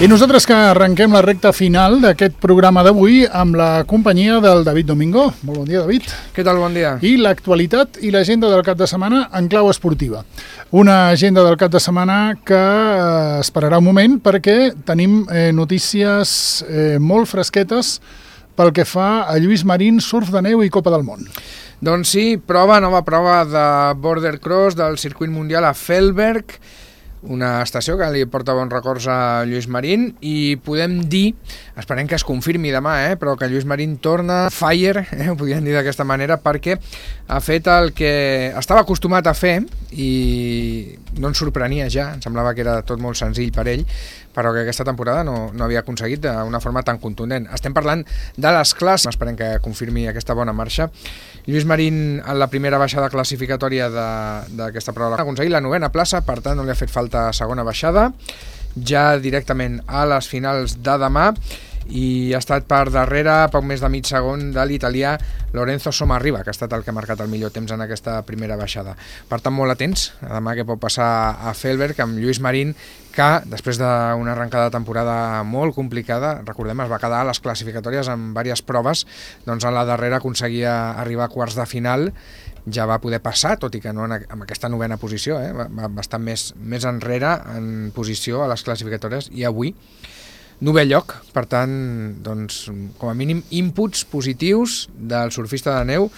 I nosaltres que arrenquem la recta final d'aquest programa d'avui amb la companyia del David Domingo. Molt bon dia, David. Què tal, bon dia? I l'actualitat i l'agenda del cap de setmana en clau esportiva. Una agenda del cap de setmana que esperarà un moment perquè tenim notícies molt fresquetes pel que fa a Lluís Marín, surf de neu i Copa del Món. Doncs sí, nova prova de border cross del circuit mundial a Fellberg, una estació que li porta bons records a Lluís Marín, i podem dir, esperem que es confirmi demà, però que Lluís Marín torna fire, ho podríem dir d'aquesta manera, perquè ha fet el que estava acostumat a fer i no ens sorprenia ja, em semblava que era tot molt senzill per ell, però que aquesta temporada no havia aconseguit d'una forma tan contundent. Estem parlant de les classes, esperem que confirmi aquesta bona marxa. Lluís Marín, en la primera baixada classificatòria d'aquesta prova, ha aconseguit la 9ª plaça, per tant no li ha fet falta segona baixada, ja directament a les finals de demà, i ha estat per darrere poc més de mig segon de l'italià Lorenzo Somarriba, que ha estat el que ha marcat el millor temps en aquesta primera baixada. Per tant, molt atents a demà què pot passar a Fellberg amb Lluís Marín, que després d'una arrencada de temporada molt complicada, recordem, es va quedar a les classificatòries en diverses proves, doncs a la darrera aconseguia arribar a quarts de final, ja va poder passar, tot i que no en aquesta 9ª posició, va estar més enrere en posició a les classificatòries, i avui 9è lloc, per tant, doncs, com a mínim, inputs positius del surfista de neu,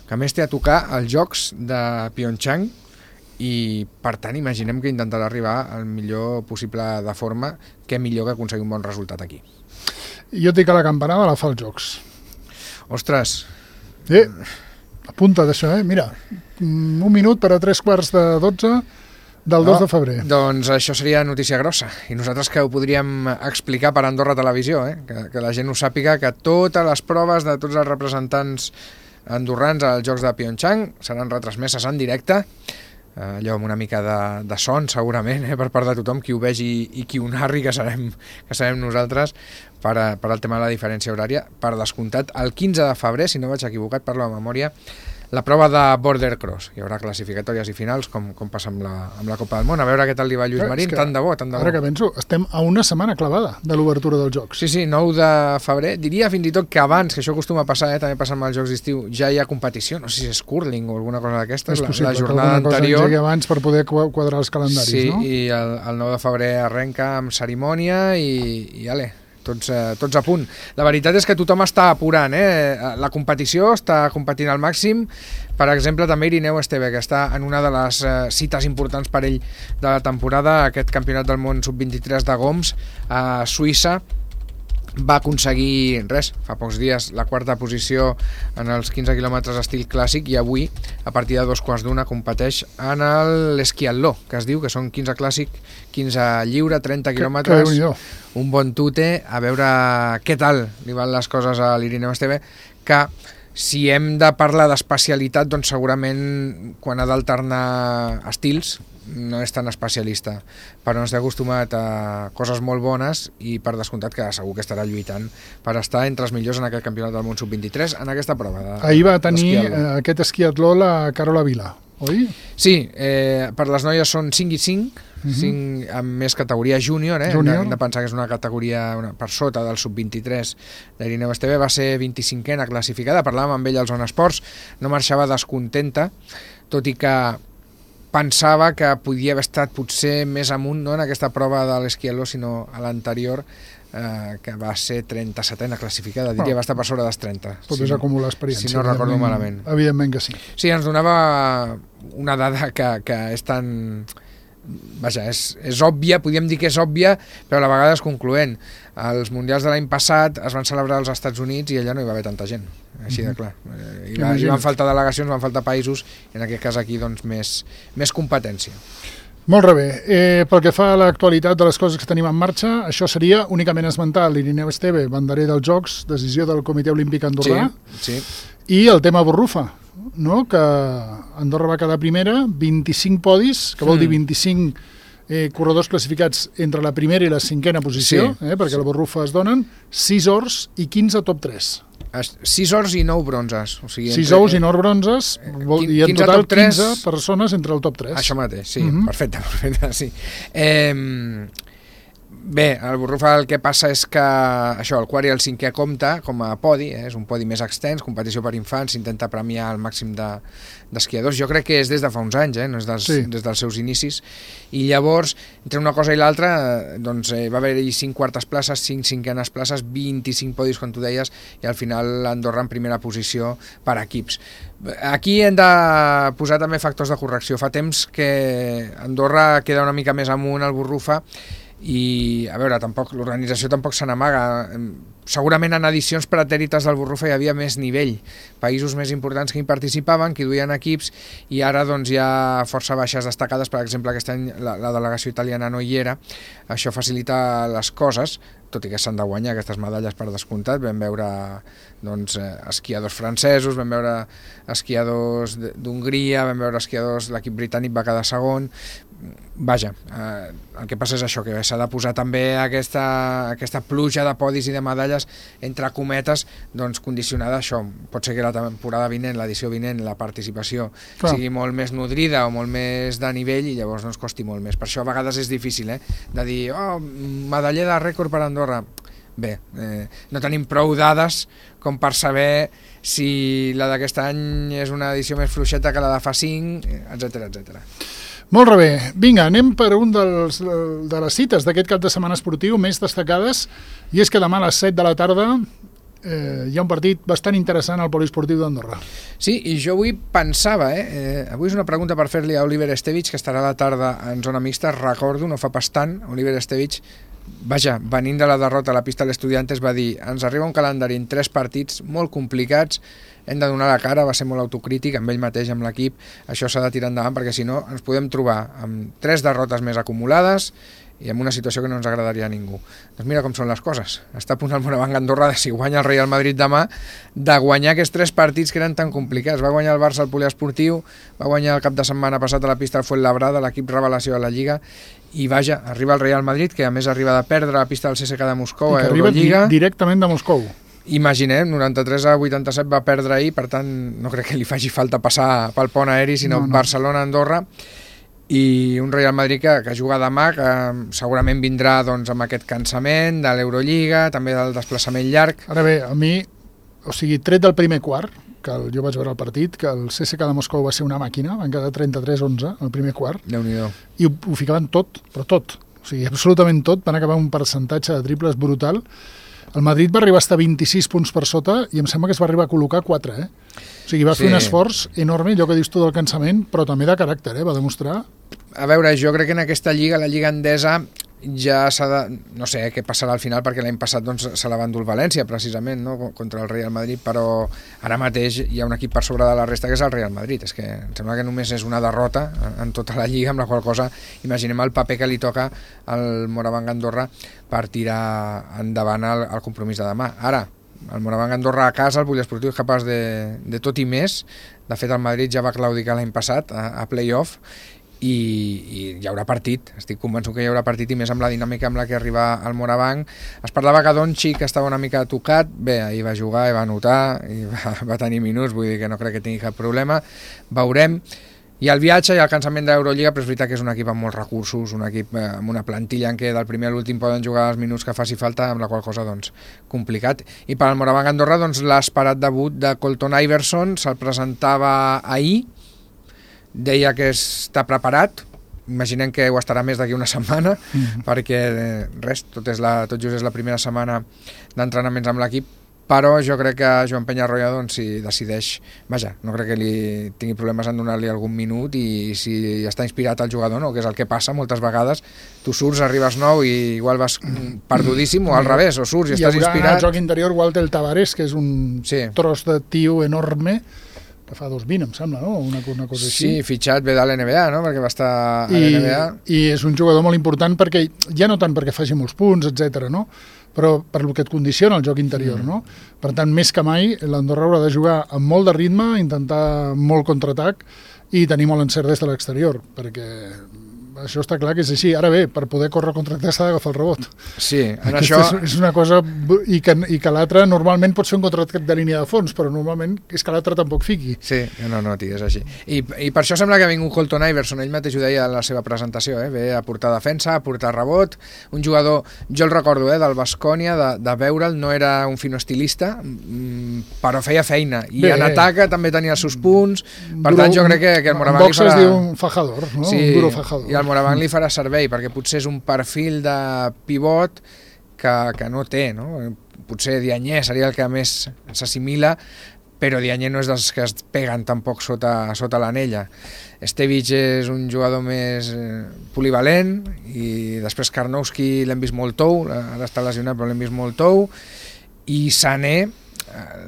que a més té a tocar els Jocs de Pyeongchang, i per tant imaginem que intentarà arribar al millor possible de forma, que millor que aconseguir un bon resultat aquí. Jo et dic que la campanada la fa als Jocs. Ostres! Apunta't això, mira, 1 minut per a 11:45 del 2 de febrer. Doncs això seria notícia grossa, i nosaltres que ho podríem explicar per Andorra Televisió, que la gent ho sàpiga, que totes les proves de tots els representants andorrans als Jocs de Pyeongchang seran retransmeses en directe, allò amb una mica de son segurament, per part de tothom, qui ho vegi i qui ho narri, que sabem nosaltres, per al tema de la diferència horària. Per descomptat, el 15 de febrer, si no vaig equivocat, parlo de memòria, la prova de border cross. Hi haurà classificatòries i finals, com passa amb la Copa del Món. A veure què tal li va a Lluís Marín, tant de bo. Ara que penso, estem a una setmana clavada de l'obertura dels Jocs. Sí, 9 de febrer. Diria fins i tot que abans, que això acostuma a passar, també passa amb els Jocs d'estiu, ja hi ha competició, no sé si és curling o alguna cosa d'aquestes, la jornada anterior. Cosa abans per poder quadrar els calendaris, no? Sí, i el 9 de febrer arrenca amb cerimònia i ale, tots a punt. La veritat és que tothom està apurant, la competició està competint al màxim. Per exemple, també Irineu Esteve, que està en una de les cites importants per ell de la temporada, aquest campionat del món sub-23 de Goms a Suïssa. Va aconseguir, fa pocs dies, la 4ª posició en els 15 quilòmetres estil clàssic, i avui, a partir de 2:15, competeix en l'esquiatló, que es diu, que són 15 clàssic, 15 lliure, 30 quilòmetres, un bon tute. A veure què tal li van les coses a l'Irineu Esteve, que si hem de parlar d'especialitat, doncs segurament quan ha d'alternar estils no és tan especialista, però ens ha acostumat a coses molt bones, i per descomptat que segur que estarà lluitant per estar entre els millors en aquest campionat del món sub-23 en aquesta prova. Ahir va tenir aquest esquiatló la Carola Vila, oi? Sí, per les noies són 5 i 5, 5 amb més categoria júnior, hem de pensar que és una categoria per sota del sub-23 d'Irineu Esteve. Va ser 25a classificada, parlàvem amb ell als Zona Esports, no marxava descontenta, tot i que pensava que podia haver estat potser més amunt, no en aquesta prova de l'esquiatló, sinó a l'anterior, que va ser 37a classificada, diria, va estar per sobre dels 30. Tot és acumular experiència. Si no recordo malament. Evidentment que sí. Sí, ens donava una dada que és tan... Vaja, és òbvia, podríem dir que és òbvia, però a la vegada és concloent. Els mundials de l'any passat es van celebrar als Estats Units i allà no hi va haver tanta gent, així de clar. Hi van faltar delegacions, van faltar països, i en aquest cas aquí doncs més competència. Molt bé. Pel que fa a l'actualitat de les coses que tenim en marxa, això seria únicament esmentar l'Irineu Esteve, banderer dels Jocs, decisió del Comitè Olímpic Andorrà, i el tema Borrufa, no? Que Andorra va quedar primera, 25 podis, que vol dir 25 corredors classificats entre la primera i la 5a posició, perquè la Borrufa es donen 6 ors i 15 top 3. 6 ors i 9 bronzes. O sigui, 6 ous i 9 bronzes, i en total 15 persones entre el top 3. Això mateix, sí, perfecte, sí. Bé, el Borrufa el que passa és que això, el quart i el cinquè compta com a podi, és un podi més extens, competició per infants, s'intenta premiar el màxim d'esquiadors. Jo crec que és des de fa uns anys, no és des dels seus inicis. I llavors, entre una cosa i l'altra, doncs va haver-hi 5 quartes places, 5 cinquenes places, 25 podis, com tu deies, i al final Andorra en primera posició per equips. Aquí hem de posar també factors de correcció. Fa temps que Andorra queda una mica més amunt al Borrufa, i a veure, l'organització tampoc se n'amaga. Segurament en edicions pretèrites del Borrufa hi havia més nivell, països més importants que hi participaven, que hi duien equips, i ara doncs hi ha força baixes destacades. Per exemple, aquest any la delegació italiana no hi era. Això facilita les coses, tot i que s'han de guanyar aquestes medalles per descomptat. Vam veure doncs, esquiadors francesos, vam veure esquiadors d'Hongria, vam veure esquiadors, l'equip britànic va quedar segon. Vaja, el que passa és això, que s'ha de posar també aquesta pluja de podis i de medalles, entre cometes, doncs condicionada a això. Pot ser que la temporada vinent, l'edició vinent, la participació sigui molt més nodrida o molt més de nivell, i llavors no ens costi molt més. Per això a vegades és difícil, de dir, medaller de rècord per Andorra. Bé, no tenim prou dades com per saber si la d'aquest any és una edició més fluixeta que la de fa 5, etcètera, etcètera. Molt bé, vinga, anem per un de les cites d'aquest cap de setmana esportiu més destacades, i és que demà a les 7 de la tarda hi ha un partit bastant interessant al poliesportiu d'Andorra. Sí, i jo avui pensava, avui és una pregunta per fer-li a Oliver Estevich, que estarà a la tarda en zona mixta. Recordo, no fa pas tant, Oliver Estevich, vaja, venint de la derrota a la pista de l'Estudiantes, va dir: ens arriba un calendari en 3 partits molt complicats, hem de donar la cara. Va ser molt autocrític amb ell mateix, amb l'equip. Això s'ha de tirar endavant, perquè si no ens podem trobar amb 3 derrotes més acumulades i en una situació que no ens agradaria a ningú. Doncs mira com són les coses. Està a punt el Morabanc Andorra, si guanya el Real Madrid demà, de guanyar aquests 3 partits que eren tan complicats. Va guanyar el Barça al poliesportiu, va guanyar el cap de setmana passat a la pista del Fuenlabrada, l'equip revelació de la Lliga, i vaja, arriba el Real Madrid, que a més arriba de perdre a la pista del CSKA de Moscou a Eurolliga. Directament de Moscou. Imaginem, 93-87 va perdre ahir, per tant no crec que li faci falta passar pel pont aeri, sinó Barcelona-Andorra, i un Real Madrid que juga demà, que segurament vindrà doncs, amb aquest cansament de l'Eurolliga, també del desplaçament llarg. Ara bé, a mi, tret del primer quart, que jo vaig veure el partit, que el CSKA de Moscou va ser una màquina, van quedar 33-11 al primer quart, Déu-n'hi-do. I ho ficaven tot, però tot, absolutament tot, van acabar un percentatge de triples brutal. El Madrid va arribar a estar 26 punts per sota i em sembla que es va arribar a col·locar 4, va fer un esforç enorme, allò que dius tu del cansament, però també de caràcter, va demostrar. A veure, jo crec que en aquesta lliga, la Lliga Endesa, ja s'ha de... No sé què passarà al final, perquè l'any passat doncs, se la va endur el València, precisament, no? Contra el Real Madrid, però ara mateix hi ha un equip per sobre de la resta, que és el Real Madrid. És que em sembla que només és una derrota en tota la lliga, amb la qual cosa imaginem el paper que li toca al Morabanc Andorra per tirar endavant el compromís de demà. Ara, el Morabanc Andorra a casa, el poliesportiu és capaç de tot i més. De fet, el Madrid ja va claudicar l'any passat a play-off, i hi haurà partit, estic convençut que hi haurà partit, i més amb la dinàmica amb la que arriba al Morabanc. Es parlava que Doncic estava una mica tocat, bé, ahir va jugar i va anotar i va tenir minuts, vull dir que no crec que tingui cap problema, veurem. I el viatge i el cansament de l'Eurolliga, però és veritat que és un equip amb molts recursos, un equip amb una plantilla en què del primer a l'últim poden jugar els minuts que faci falta, amb la qual cosa doncs complicat. I per al Morabanc Andorra doncs l'esperat debut de Colton Iverson se'l presentava ahir, deia que està preparat, imaginem que ho estarà més d'aquí una setmana, perquè res, tot just és la primera setmana d'entrenaments amb l'equip, però jo crec que Joan Peñarroya, doncs, si decideix, vaja, no crec que li tingui problemes en donar-li algun minut, i si està inspirat el jugador, no, que és el que passa moltes vegades, tu surts, arribes nou i igual vas perdudíssim, o al revés, o surts i estàs inspirat. Hi haurà al joc interior Walter Tavares, que és un tros de tio enorme, que fa 2,20, em sembla, no? Una cosa així. Sí, fitxat ve de l'NBA, no? Perquè va estar a l'NBA. I és un jugador molt important, perquè ja no tant perquè faci molts punts, etc, no? Però per el que et condiciona el joc interior, no? Per tant, més que mai, l'Andorra haurà de jugar amb molt de ritme, intentar molt contraatac i tenir molt encert des de l'exterior, perquè això està clar que és així. Ara bé, per poder córrer contracte s'ha d'agafar el rebot. Sí, en això... És una cosa... I que l'altre normalment pot ser un contracte de línia de fons, però normalment és que l'altre tampoc fiqui. Sí, no, tio, és així. I per això sembla que ha vingut Colton Iverson, ell mateix ho deia en la seva presentació, ve a portar defensa, a portar rebot, un jugador, jo el recordo, del Baskonia, de veure'l, no era un fino estilista, però feia feina, i en atac també tenia els seus punts, per tant jo crec que el Moraván li farà... es diu un fajador, no? Sí, un duro fajador. I el Moraván li farà servei, perquè potser és un perfil de pivot que no té, no? Potser Diagne seria el que més s'assimila, però Diagne no és dels que es peguen tampoc sota l'anella. Stevic és un jugador més polivalent, i després Karnowski l'hem vist molt tou, ara està lesionat però l'hem vist molt tou, i Sané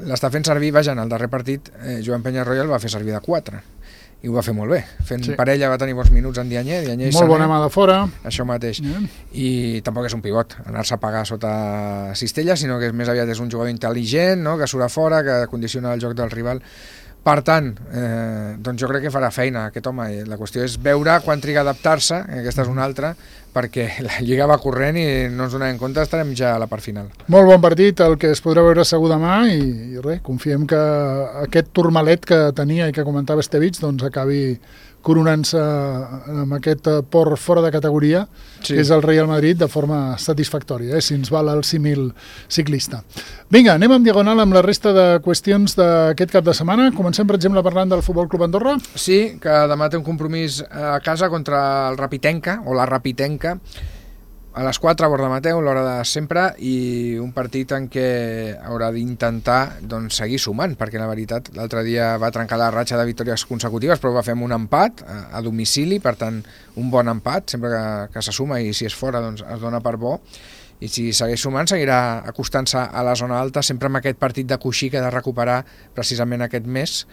l'està fent servir, vaja, en el darrer partit Joan Peñarroya el va fer servir de 4 i ho va fer molt bé, fent parella va tenir bons minuts en Diagne i molt Sané, bona mà de fora, això mateix, i tampoc és un pivot anar-se a pagar sota cistella, sinó que més aviat és un jugador intel·ligent, no? Que surt a fora, que condiciona el joc del rival. Per tant, doncs jo crec que farà feina aquest home. La qüestió és veure quan triga a adaptar-se, aquesta és una altra, perquè la Lliga va corrent i no ens donem compte, estarem ja a la part final. Molt bon partit, el que es podrà veure segur demà, i res, confiem que aquest turmalet que tenia i que comentava Stevic doncs acabi coronant-se amb aquest port fora de categoria, que és el Real Madrid, de forma satisfactòria, si ens val el símil ciclista. Vinga, anem en diagonal amb la resta de qüestions d'aquest cap de setmana. Comencem, per exemple, parlant del Futbol Club Andorra. Sí, que demà té un compromís a casa contra el Rapitenca, o la Rapitenca, a les 4 a Bordamateu, l'hora de sempre, i un partit en què haurà d'intentar seguir sumant, perquè la veritat l'altre dia va trencar la ratxa de victòries consecutives, però va fer un empat a domicili, per tant un bon empat, sempre que se suma, i si és fora doncs es dona per bo, i si segueix sumant seguirà acostant-se a la zona alta, sempre amb aquest partit de coixí que ha de recuperar precisament aquest mes.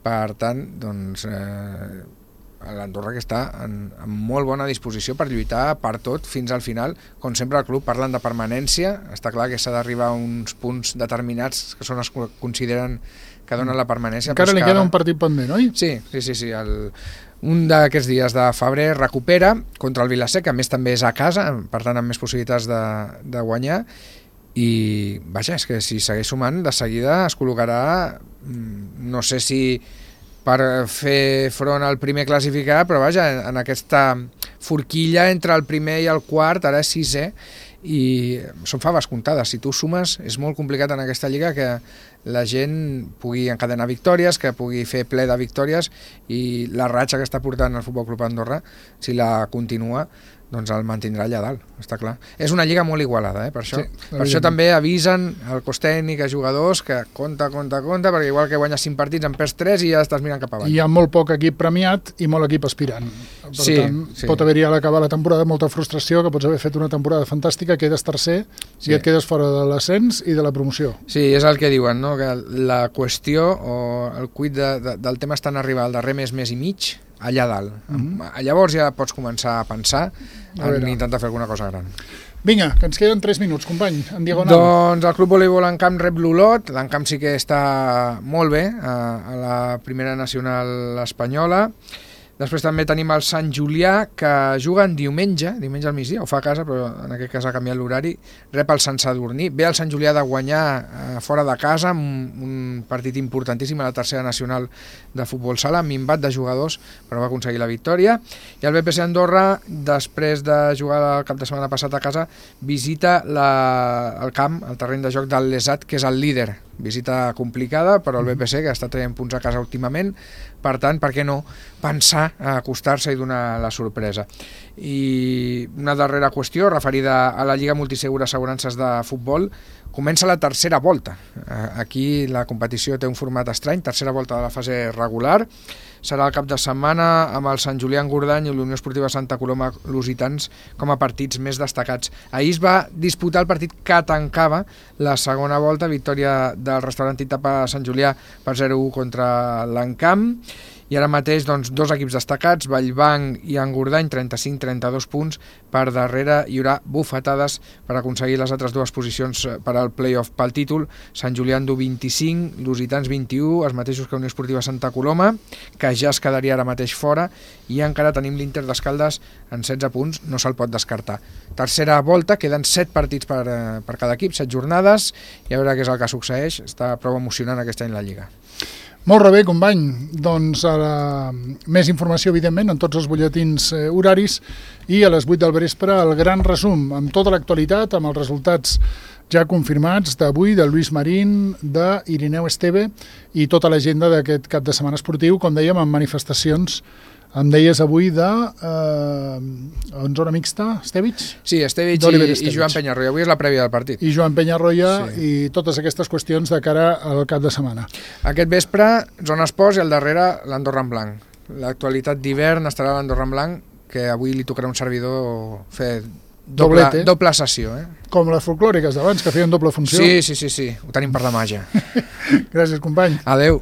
Per tant, doncs l'Andorra que està en molt bona disposició per lluitar per tot fins al final. Com sempre el club parlen de permanència, està clar que s'ha d'arribar a uns punts determinats que són els que consideren que donen la permanència. Encara li queda un partit pendent, oi? Sí. Un d'aquests dies de febrer recupera contra el Vilaseca, a més també és a casa, per tant amb més possibilitats de guanyar, i vaja, és que si segueix sumant de seguida es col·locarà, no sé si per fer front al primer classificat, però vaja, en aquesta forquilla entre el primer i el quart, ara és 6è, i són faves comptades. Si tu sumes, és molt complicat en aquesta lliga que la gent pugui encadenar victòries, que pugui fer ple de victòries, i la ratxa que està portant el Futbol Club Andorra, si la continua, doncs el mantindrà allà dalt, està clar. És una lliga molt igualada, per això. Sí, per això també avisen el cos tècnic, a jugadors, que compta, perquè igual que guanyes 5 partits en perds 3 i ja estàs mirant cap avall. Hi ha molt poc equip premiat i molt equip aspirant. Per tant, pot haver-hi a l'acabar la temporada molta frustració, que pots haver fet una temporada fantàstica, quedes tercer i et quedes fora de l'ascens i de la promoció. Sí, és el que diuen, no? Que la qüestió o el cuit del tema està en arribar al darrer mes i mig, allà dalt. Llavors ja pots començar a pensar en intentar fer alguna cosa gran. Vinga, que ens queden 3 minuts, company, en diagonal. Doncs el Club Voleibol Encamp rep l'Olot. L'Encamp sí que està molt bé a la primera nacional espanyola. Després també tenim el Sant Julià, que juga en diumenge al migdia, ho fa a casa, però en aquest cas ha canviat l'horari, rep el Sant Sadurní. Ve el Sant Julià de guanyar fora de casa, un partit importantíssim a la tercera nacional de futbol sala, minvat de jugadors, però va aconseguir la victòria. I el BPC Andorra, després de jugar el cap de setmana passat a casa, visita el camp, el terreny de joc del Lesat, que és el líder. Visita complicada, però el BPC, que està traient punts a casa últimament, per tant, per què no pensar a acostar-se i donar la sorpresa. I una darrera qüestió referida a la Lliga Multisegura Assegurances de Futbol. Comença la tercera volta. Aquí la competició té un format estrany, tercera volta de la fase regular. Serà el cap de setmana amb el Sant Julià Engordany i l'Unió Esportiva Santa Coloma Lusitans com a partits més destacats. Ahir es va disputar el partit que tancava la segona volta, victòria del restaurant Titapa Sant Julià per 0-1 contra l'Encamp, i ara mateix doncs, dos equips destacats, Vallbanc i Engordany, 35-32 punts, per darrere hi haurà bufetades per aconseguir les altres dues posicions per al play-off pel títol, Sant Julià en du 25, Lusitans 21, els mateixos que Unió Esportiva Santa Coloma, que ja es quedaria ara mateix fora, i encara tenim l'Inter d'Escaldes en 16 punts, no se'l pot descartar. Tercera volta, queden 7 partits per cada equip, 7 jornades, i a veure què és el que succeeix, està prou emocionant aquest any la Lliga. Molt bé, company. Doncs més informació, evidentment, en tots els butlletins horaris i a les 8 del vespre el gran resum amb tota l'actualitat, amb els resultats ja confirmats d'avui, de Lluís Marín, d'Irineu Esteve i tota l'agenda d'aquest cap de setmana esportiu, com dèiem, amb manifestacions. Em deies avui en zona mixta, Estevich? Sí, Estevich i Joan Penyarroia. Avui és la prèvia del partit. I Joan Penyarroia i totes aquestes qüestions de cara al cap de setmana. Aquest vespre, zona esports i al darrere l'Andorra en blanc. L'actualitat d'hivern estarà l'Andorra en blanc, que avui li tocarà un servidor fer doble sessió. Com les folclòriques d'abans, que feien doble funció. Sí, ho tenim per la màgia. Gràcies, company. Adeu.